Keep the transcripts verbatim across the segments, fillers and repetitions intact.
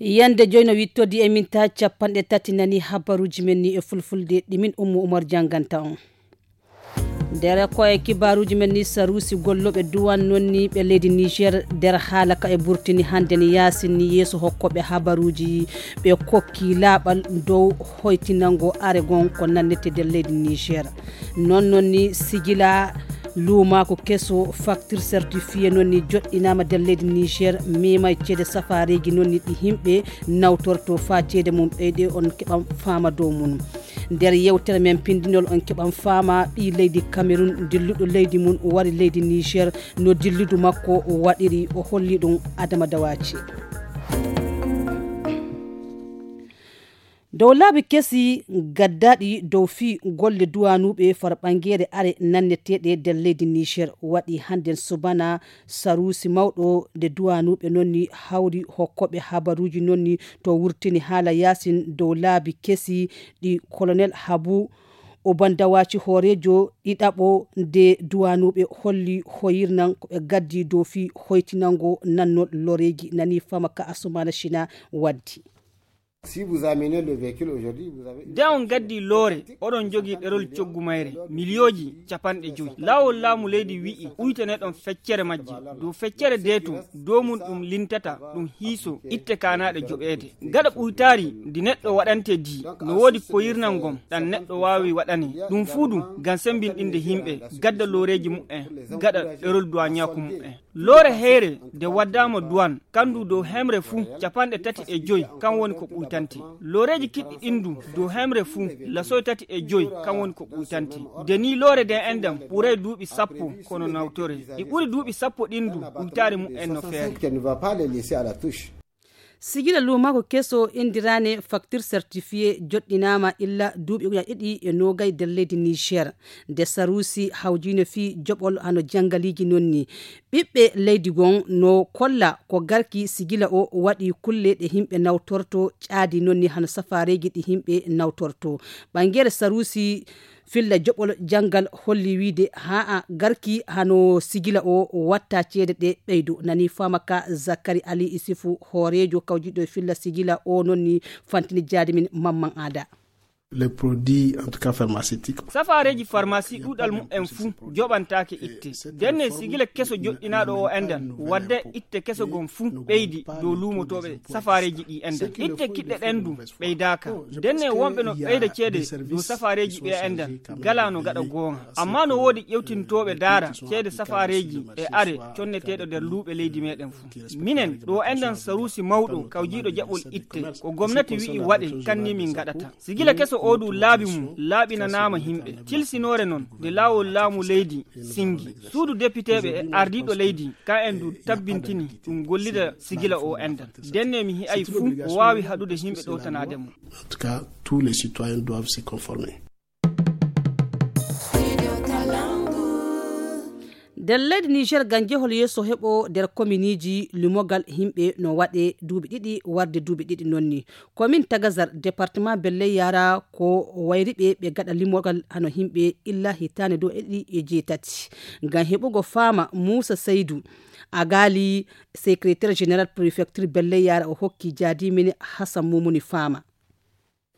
Yande joy no wittodi e minta capanɗe tati nani habaruji men ni e fulfulde ɗi min Ummu Umar janganta on. Nder ko e kibaruji men ni sarusi golloɓe duwan non ni ɓe leydi Niger nder haala ka e burtini hande ni yasin ni yeeso hokkoɓe habaruji ɓe kokki laaɓal dow hoytinango aregon ko nannete nder leydi Niger. Non non ni sigila luumaaku keso facture certifié non ni joɗɗinaama nder leydi Niger mema e ceede safareeji non ni ɗi yimɓe nawtorto faa ceede mum ɓeyde on keɓan faama dow mum. Nder yewtere men pindinol on keɓan faama ɓii leydi Cameroun dilluɗo leydi mum wari leydi Niger no dilludu makko waɗiri o holli ɗum Adama Dawaci. Dow laabi kesi gaddaɗi dow fii golle duwanuɓe far ɓangere are nanneteɗe nder leydi Niger waɗi hannden subana sarusi mawɗo nde duwanuɓe nonni hawri hokkoɓe habaruji nonni to wurtini haala yasin dow laabi kesi ɗi colonel Habu Obandawaci hoorejo ɗiɗaɓo nde duwanuɓe holli hoyirnan ko ɓe gaddi dow fii hoytinango nannol loreji nani fama ka asumana shina waddi. Si vous amenez le véhicule aujourd'hui, vous avez une... Nde on gaddi loore, oɗon jogii ɗerol coggu mayre, miliyooji capanɗe joy. Laawol laamu leydi wi'i, uytaneɗon feccere majje. Dow feccere deeto, dow mum ɗum lintata, ɗum hiiso, itte kaanaaɗe joɓeede. Gaɗa ɓuytaari ndi neɗɗo waɗante di, no woodi koyirnal ngon, ɗan neɗɗo waawi waɗane. Ɗum fuu ɗum, ngam sembinɗinde yimɓe, gadda looreeji mu'en, gaɗa ɗerol duwaañaaku mu'en. Loore heyre nde waddaama duwan, kandu dow hemre fuu capanɗe tati e joy, kan woni ko ɓuytante. Looreeji kiɗɗi ɗin du dow hemre fuu lasoy tati e joy, kan woni ko ɓuytante. Nde ni loore nden endan ɓuray duuɓi sappo kono nawtore. Ɗi ɓuri duuɓi sappo ɗin du ɓuytaari mu'en no feere. Sigila luumako keso indirane facture certifié joɗɗinama illa duuɓi ujunaji ɗiɗi e nogay nder leydi Niger. Nde sarusi hawjino fii joɓol hano jangaliji nonni. Ɓiɓɓe leydi gon no kolla ko garki sigila o waɗi kulle ɗe yimɓe nawtorto caadi nonni hano safareji ɗi yimɓe nawtorto. Ɓangere sarusi filla joɓol janngal holli wiide haa a garki hano sigila o watta ceede ɗe ɓeydo nani fama ka Zakari Ali Isifu hooreejo kawjiɗo e filla sigila o nonni fantini jaadi min mamman aada. Les produits en tout cas pharmaceutiques. Safareeji farmasi ɗuɗal mumen fuu joɓantaake itte. Denne sigila keso joɗɗinaaɗo o endan wadde itte keso gon fuu ɓeydi dow luumotooɓe safareeji ɗi endan itte kiɗɗe ɗen du ɓeydaaka. Denne wonɓe no ɓeyda ceede dow safareeji ɓe endan gala no gaɗa goonga. Amma no woodi ƴewtintooɓe daara ceede safareeji e are conneteeɗo nder luuɓe leydi meɗen fuu. Minen ɗo endan sarusi mawɗo kawjiiɗo jaɓol itte ko gomnati wi'i waɗe kanni min gaɗata. Sigila keso o du laabi mum laaɓinanaama himɓe. Tilsinoore non nde laawol laamu leydi singi. Suudu depiteeɓe e ardiiɗo leydi ka en du tabbintini ɗum gollida sigila o endan. Denne mi hi'ay fuu ko waawi haɗude yimɓe ɗowtanaade mo. En tout cas, tous les citoyens doivent se conformer. Nder leydi Niger ngam jehol yeeso heɓo nder kominiiji limogal yimɓe no waɗe duuɓi ɗiɗi warde duuɓi ɗiɗi nonni. Komin Tagazar, département Belley Yara ko wayriɓe ɓe gaɗa limogal hano yimɓe illa hitaande dow e ɗiɗi e jeetati. Ngam heɓugo faama Muusa Saydu Agali, secrétaire général préfecture Belley Yara o hokki jaadi min Hassan Mumuni faama.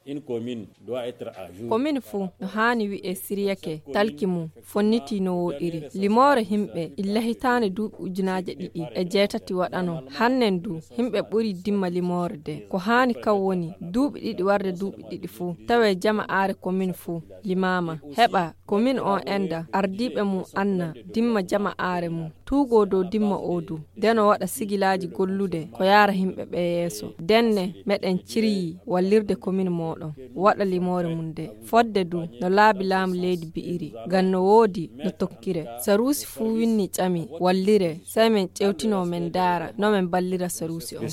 Une commune doit être à jour. Komin fuu no haani wi'e siriyake talki mum fonniti no woɗiri. Limoore himɓe illa hitaande duuɓi ujunaaje ɗiɗi e jeetati waɗano. Hannen du himɓe ɓuri dimma limoore de. Ko haani kan woni duuɓi ɗiɗi warde duuɓi ɗiɗi fuu tawe jama aare komin fuu limaama. Heɓa komin on enda ardiiɓe mum anna dimma jama aare mum. Tuugoo dow dimma oo du, de no waɗa sigilaaji gollude ko yaara yimɓe ɓee yeeso. Denne meɗen ciryii wallirde komin mooɗon waɗa limoore mum de. Fodde du no laabi laamu leydi bi'iri, ngam no woodi no tokkire. Saruusi fuu winni ƴami wallire, sey men ƴewtinoo men ndaara no men ballira saruusi on.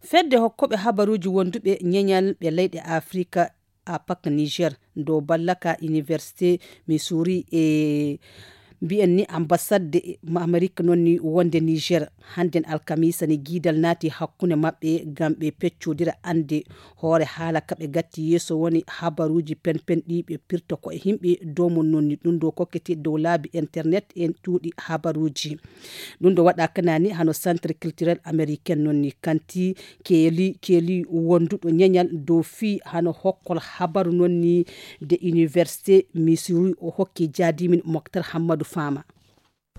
Fedde hokkoɓe habaruuji wonduɓe ñeñal ɓe leyɗe Afrika, APAC Niger, dow ballaka Université Missouri e Mbiyen ni ambasadde Amerik noon ni wonde Niger, hannden alkamiisa ni giidal naati hakkunde maɓɓe ngam ɓe peccodira annde hoore haala ka ɓe gatti yeeso woni habaruuji penpen ɗi ɓe pirta ko e yimɓe dow mum noon ni ɗum ɗo kokkete dow laabi internet e cuuɗi habaruuji. Ɗum ɗo waɗa kanani hano Centre Culturel Américain noon ni kanti keeli, keeli wonduɗo ñeñal dow fii hano hokkol habaru noon ni de Université Missouri o hokki jaadimin Moktar Hammadu Faama.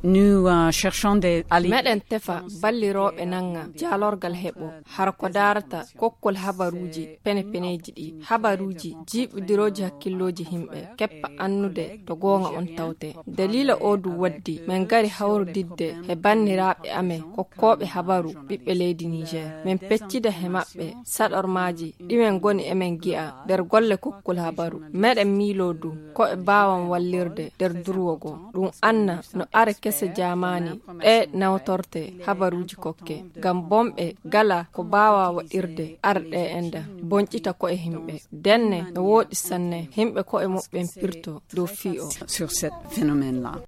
Nous, euh, cherchons des, à l- Meɗen tefa ballirooɓe nannga jaalorgal heɓo hara ko daarata kokkol habaruuji penepeneeji ɗi, habaruuji jiiɓudirooji hakkillooji yimɓe, keppa annude to goonga on tawte. Daliila oo du waddi men ngari hawrodidde he banniraaɓe amen kokkooɓe habaru ɓiɓɓe leydi Niger. Men peccida he maɓɓe saɗormaaji ɗi men ngoni emen gi'a nder golle kokkol habaru. Meɗen miiloo du ko ɓe mbaawan wallirde nder durwo goo. Ɗum anna no are kese jaamaani ɗe nawtorte habaruuji kokke. Ngam bonɓe gala ko mbaawa waɗirde are ɗe enda bonƴita ko'e yimɓe. Denne no wooɗi sanne yimɓe ko'e muɓɓen pirto dow fii o. Sur ce phénomène-là.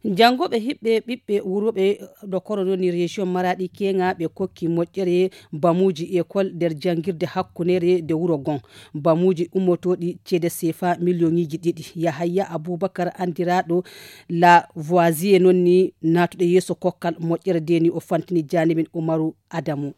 Janngooɓe hiɓɓe ɓiɓɓe wurooɓe ɗo koro noon ni région Maraɗi keŋa ɓe kokki moƴƴere bamuuji école nder janngirde hakkunere nde wuro gon. Bamuuji ummotooɗi ceede sefa million ŋiji ɗiɗi. Yahaya Abubakar anndiraaɗo La Voisie noon ni naatuɗo yeeso kokkal moƴƴere nde ni o fantini jaanimin Umaru Adamu.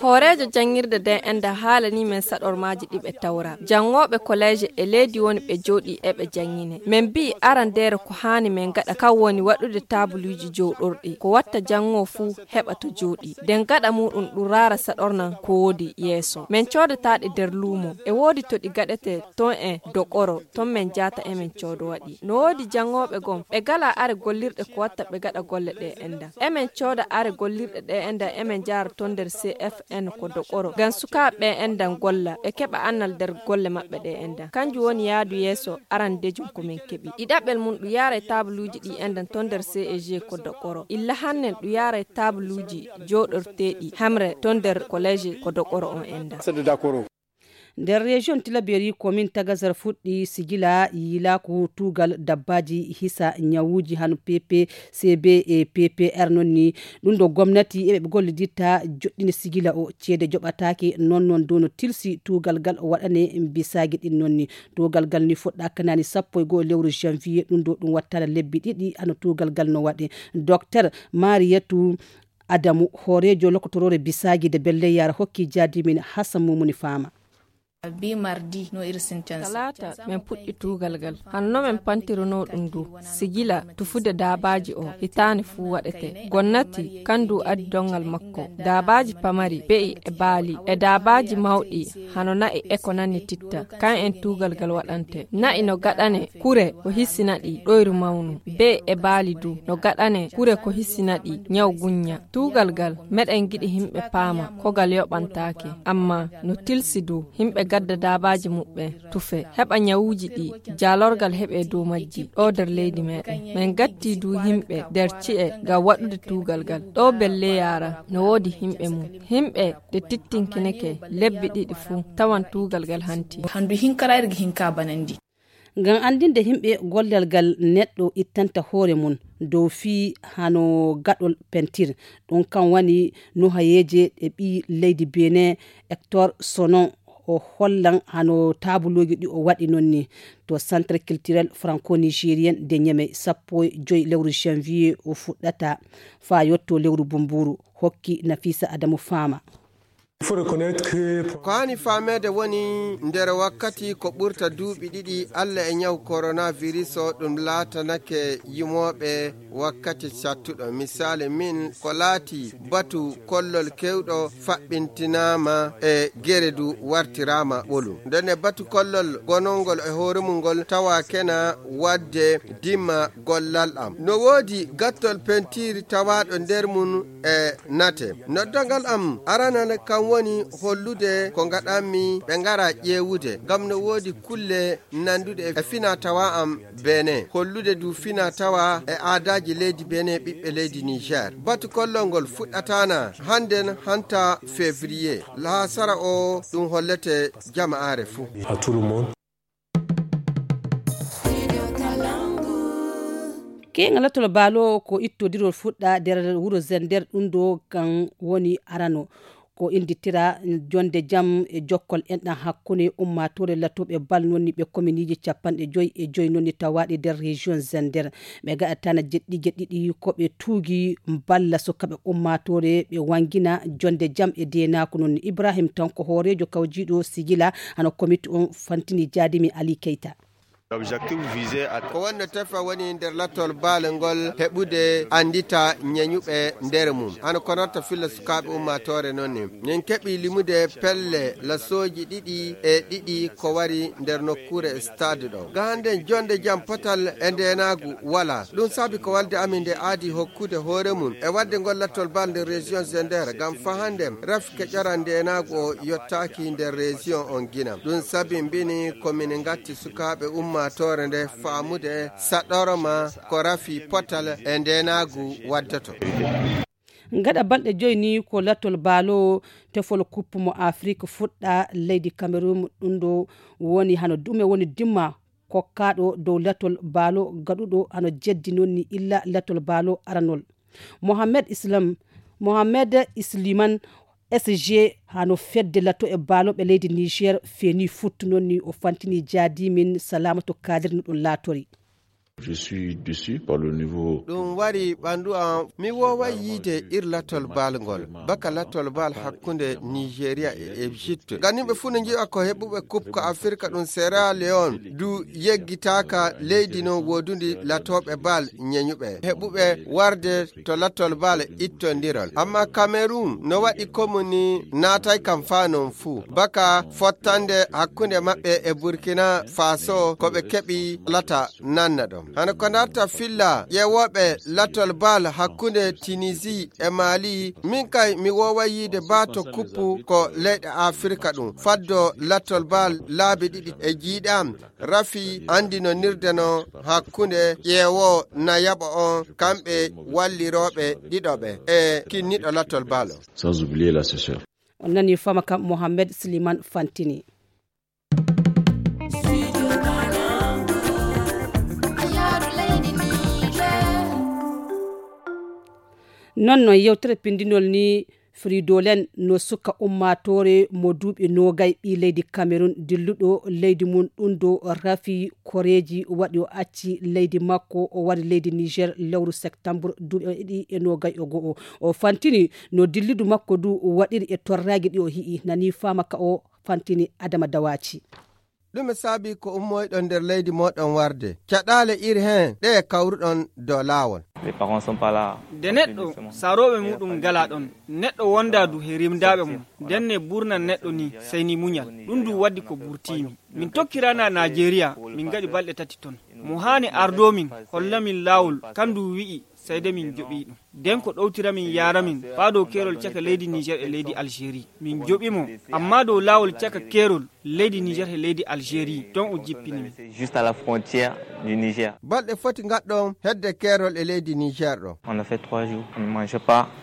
Hooreejo janngirde nde enda haalanii men saɗormaaji ɗi ɓe tawra. Janngooɓe koleeje e leydi woni ɓe jooɗii e ɓe janngine. Men mbi'i arandeere ko haani men ngaɗa kan woni waɗude taabuluuji jooɗorɗi. Ko watta janngoo fuu heɓa to jooɗii. Nden gaɗa muuɗum ɗum raara saɗornan ko woodi yeeso. Men coodataa ɗi nder luumo. E woodi to ɗi gaɗetee ton e Dokoro, ton men jaata emen coodo waɗi. No woodi janngooɓe gom, ɓe gala are gollirɗe ko watta ɓe gaɗa golle ɗe enda. Emen cooda are gollirɗe ɗe enda, emen jaara ton nder C F N ko Dokoro. Ngam sukaaɓe ɓe endan golla, ɓe keɓa annal nder golle maɓɓe ɗe enda. Kanjum woni yaadu yeeso arandejum ko men keɓi. Ɗiɗaɓel mum ɗum yaara e taabuluuji ɗi endan ton nder C E G ko Dokoro. Illa hannen ɗum yaara e taabuluuji jooɗorteeɗi hamre ton nder koleeje ko Dokoro on enda. Nder région Tilaberi, komin Tagazar fuɗɗi sigila yiilaaku tuugal dabbaaji hisa ñawuuji hano P P C B e P P R noon ni. Ɗum ɗo gomnati e ɓe golliditta joɗɗini sigila o ceede joɓataake noon noon dow no tilsi tuugal gal o waɗane bisaagi ɗin noon ni. Tuugal gal ni fuɗɗa kanani sappo e go'o lewru janvier ɗum ɗo ɗum wattana lebbi ɗiɗi hano tuugal gal no waɗe. Docteur Mariyatu Adamu, hooreejo lokotoroore bisaagi de belle yaara hokki jaadimin Hassan Mumuni Faama. Bi mardi no iri sinten. Talaata, men puɗɗi tuugal gal. Hanno men pantiruno ɗum du. Sigila, tufude daabaaji o, hitaani fuu waɗete. Gonnati, kan du adi dongal makko. Daabaaji pamari, be'i e baali, e daabaaji mawɗi, hano na'i e ko nanni titta. Kan en tuugal gal waɗante. Na'i no gaɗane, kure ko hisina ɗi, ɗoyru mawnu. Be'i e baali du, no gaɗane, kure ko hisina ɗi, ñaw guñña. Tuugal gal, meɗen giɗi himɓe paama, ko gal yoɓantaake. Amma, no tilsi du, himɓe gadda daabaaji muɓɓen, tufe, heɓa ñawuuji ɗi, jaalorgal heɓe dow majji, ɗo nder leydi meɗen. Men gatti du himɓe nder ci'e ngam waɗude tuugal gal. Ɗo belle yaara, no woodi himɓe mum. Himɓe de tittinkineke lebbi ɗiɗi fuu, tawan tuugal gal hanti. Handu hinkarayri gi hinka banandi. Ngam anndinde yimɓe gollal ngal neɗɗo ittanta hoore mum dow fii hano gaɗol pentir. Ɗum kan wani nuhayeeje ɗe ɓii leydi Benin Hector Sonon o hollan hano taabulooji ɗi o waɗi noon ni to Centre Culturel Franco-Nigérien de Niamey, sappo e joy lewru janvier o fuɗɗata faa yotto lewru bumbuuru, hokki Nafisa Adamu Faama. Ko haani faameede woni nder wakkati ko ɓurta duuɓi ɗiɗi Alla e ñaw coronavirus o ɗum laatanake yimooɓe wakkati cattuɗo. Misaali min ko laati batu kollol kewɗo faɓɓintinaama e gere du wartiraama ɓolu. Ndene batu kollol gonongol e hoore mum ngol tawa kena waɗde dima gollal am. No woodi gattol pentiiri tawaaɗo nder mum e nate. Noddangal am aranal kam woni hollude ko ngaɗanmi ɓe ngara ƴeewude, ngam no woodi kulle nanduɗe e fina tawa am Benin, hollude du fina tawa e aadaaji leydi Benin ɓiɓɓe leydi Niger. Batu kollol ngol fuɗɗataana hannden hanta février, haa sara o ɗum hollete jama'aare fuu. À tout le monde. Ɓeynga latol baalo ko ittodirol fuɗɗa nder wuro Zender, ɗum ɗo kan woni arano. Ko innditira jonde jam e jokkol enɗan hakkunde ummaatoore latooɓe bal nonni ɓe kominiji capanɗe joyi e joyi nonni tawaaɗi nder région Zender. Ɓe gaɗatana jeɗɗi jeɗɗiɗi ko ɓe tuugi balla sukaaɓe ummaatoore ɓe wangina jonde jam e deenaaku nonni. Ibrahim Tanko hooreejo kawjiiɗo sigila hano komiti on fantini jaadimi Ali Keita. Ko wonno tefa woni nder lattol baale ngol heɓude anndita ñeñuɓe nder mum. Hano ko notta filla sukaaɓe ummaatoore noon ni. Min keɓi limude pelle lasooji ɗiɗi e ɗiɗi ko wari nder nokkuure stade ɗo. Ga hannde jonde jam potal e ndeenaagu wala. Ɗum saabi ko walde amin nde aadi hokkude hoore mum e wadde ngol lattol baale nder région Zender ngam fahande rafi keƴoran ndeenaagu o yottaaki nder région on gina. Ɗum saabi mbini ko min ngatti sukaaɓe ummaatoore nde faamude saɗorma ko rafi potal e ndeenaagu waddoto. Gaɗa balɗe joyi ni ko lattol baalo tefol kuppu mo Afrik fuɗɗa leydi Cameroun, ɗum ɗo woni hano dume woni dimma kokkaaɗo dow lattol baalo gaɗuɗo hano jeddi noon ni illa lattol baalo aranol. Mohamed Islam, Mohamed Isliman S G hano fedde latto e baaloɓe leydi Niger feeni futtu noon ni o fantini jaadi min Salamatu Kadir no ɗum laatori. Je suis déçu par le niveau. Ɗum wari ɓandu am, mi wooway yiide ir lattol bal ngol baka lattol bal hakkunde Nigeria e Egypte. Ganimɓe fuu no nji'a ko heɓuɓe coupe ko Afirka ɗum Sierra Leone du yeggitaaka leydi non woodudi latooɓe bal ñeñuɓe heɓuɓe warde to lattol bal ittondirol. Amma Cameroun no waɗi komuni naatay kam faa non fuu baka fottande hakkunde maɓɓe e Burkina Faso ko ɓe keɓi lata nanna ɗon. Hano ko darta filla ƴeewooɓe lattol bal hakkunde Tunisie e Mali, min kay mi wooway yiide baa to kuppu ko leyɗe Afirka ɗum faddo lattol bal laabi ɗiɗi e jiiɗam. Rafi anndinonirde no hakkunde ƴeewoo nayaɓo on kamɓe wallirooɓe ɗiɗo ɓe e kinniɗo lattol bal o. Sans oublier l'assesseur. On nani fama kam Mohamed Slimane Fantini. Non non yewtere pindinol ni Fridolen no suka ummaatoore mo duuɓi noogay ɓii leydi Cameroun dilluɗo leydi mum ɗum do rafi koreeji waɗi o acci leydi makko o wari leydi Niger lewru septembre duuɓi ɗiɗi e noogay e go'o. O fantini no dilludu makko du waɗiri e torraagi ɗi o hi'i nani fama ka o fantini Adama Dawaci. Ɗume saabi ko ummoyɗon nder leydi mooɗon warde? Caɗaale iri heen ɗe kawruɗon dow laawol. De neɗɗo saarooɓe muɗum ngalaa ɗon. Neɗɗo wondaa du he rimdaaɓe mum. Ndenne burnan neɗɗo ni sey ni muñal. Ɗum du waddi ko burtiimi. Min tokkiranaa Naajeeriya, min ngaɗi balɗe tati ton. Mo haani ardoo min, holla min laawol, kandu wi'i sey de min joɓii ɗum. Den ko ɗowtira min yaara min faa dow keerol caka leydi Niger e leydi Algérie. Min joɓi mo, amma dow laawol caka keerol leydi Niger e leydi Algérie ton o jippini min. Balɗe foti ngaɗɗon hedde keerol e leydi Niger ɗo.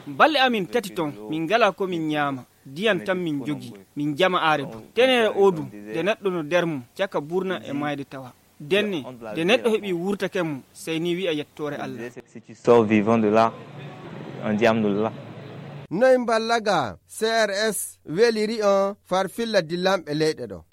Balɗe amin tati ton min ngalaa ko min ñaama. Diyan tan min jogi, min jama aare du. Teneere oo du, de neɗɗo no der mum caka burna e maayde tawa. Denne, de neɗɗo heɓi wurtake mum, sey ni wi'a yettoore Allah. Noy mballaga C R S weliri on far filla dillanɓe leyɗe ɗo?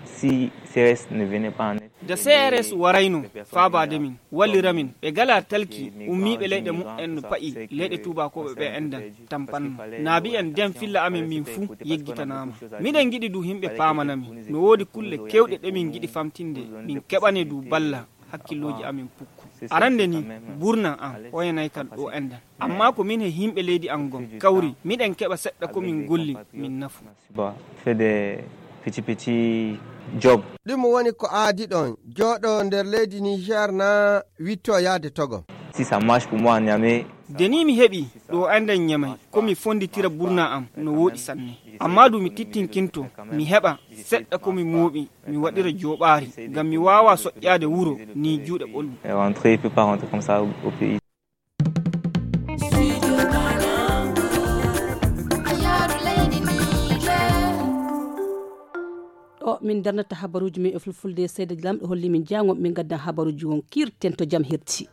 De C R S warayno faabaade min, wallira min, ɓe galaa talki ummiiɓe leyɗe muɓɓen no pa'i leyɗe tuubaakooɓe ɓe enɗan tampanno. Naabi en den filla amen min fuu yeggitanaama. Miɗen ngiɗi du himɓe paamana min. No woodi kulle kewɗe ɗe min ngiɗi famtinde, min keɓane du balla hakkillooji amen pukku. Arande ni, burnan am hoyanay kan ɗo enɗan. Amma ko min he himɓe leydi an gon kawri, miɗen keɓa seɗɗa ko min golli, min nafu. Ɗum woni ko aadi ɗon jooɗo nder leydi Niger na witto yaade Togo. De ni mi heɓi ɗo enɗan Ñamay, ko mi fonditira burna am no wooɗi sanne. Amma du mi tittinkinto, mi heɓa seɗɗa ko mi mooɓi, mi waɗira jooɓaari, ngam mi waawaa soƴƴaade wuro ni juuɗe ɓolwi. Ɗo min darnata habaruuji men e fulfulde, Seyda Lamɗo holli min jaango min ngaddan habaruuji won kiirten to jam hirti.